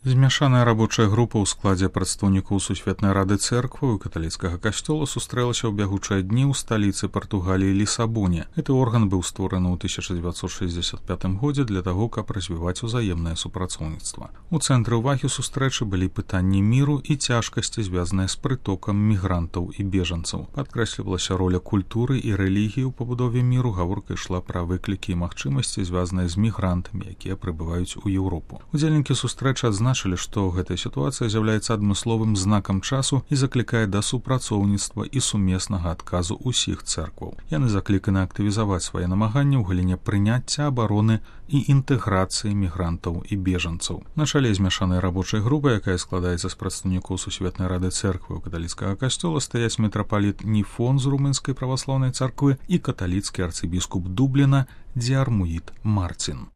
Змяшаная рабочая група ў складзе прадстаўнікоў Сусветнай рады цэркваў і каталіцкага касцёла сустрэлася ў бягучыя дні ў сталіцы Партугаліі Лісабоне. Гэты орган быў створаны ў 1965 годзе для таго, каб развіваць узаемнае супрацоўніцтва. У цэнтры ўвагі сустрэчы былі пытанні міру і цяжкасці, звязаныя з прытокам мігрантаў і бежанцаў. Падкрэслівалася роля культуры і рэлігіі ў пабудове міру, гаворка ішла пра выклікі і магчымасці, звязаныя з мігрантамі, якія прыбываюць у Еўропу. Удзельнікі сустрэчы адзначылі, што гэтая сітуацыя з'яўляецца адмысловым знакам часу і заклікае да супрацоўніцтва і сумеснага адказу ўсіх цэркваў. Яны закліканы актывізаваць свае намаганні ў галіне прыняцця, абароны і інтэграцыі мігрантаў і бежанцаў. На чале змяшанай рабочай групы, якая складаецца з прадстаўнікоў Сусветнай рады цэркваў і каталіцкага касцёла, стаяць мітрапаліт Ніфон з румынскай праваслаўнай царквы і каталіцкі арцыбіскуп Дубліна Дзіармуід Марцін.